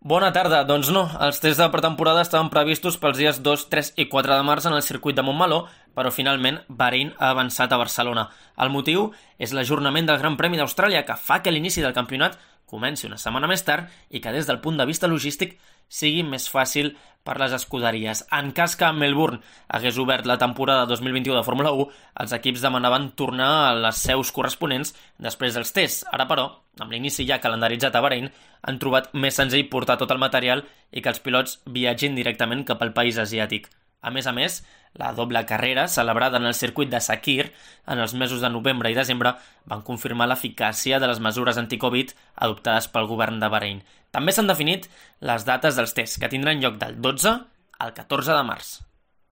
Bona tarda. Doncs no, els tests de pretemporada estaven previstos pels dies 2, 3 i 4 de març en el circuit de Montmeló, però finalment Bahrein ha avançat a Barcelona. El motiu és l'ajornament del Gran Premi d'Austràlia, que fa que l'inici del campionat comenci una setmana més tard i que des del punt de vista logístic sigui més fàcil per les escuderies. En cas que Melbourne hagués obert la temporada 2021 de Fórmula 1, els equips demanaven tornar a les seus corresponents després dels tests. Ara, però, amb l'inici ja calendaritzat a Bahrein, han trobat més senzill portar tot el material i que els pilots viatgin directament cap al país asiàtic. A més, la doble carrera, celebrada en el circuit de Sakhir en els mesos de novembre i desembre, van confirmar l'eficàcia de les mesures anti-Covid adoptades pel govern de Bahrein. També s'han definit les dates dels tests, que tindran lloc del 12 al 14 de març.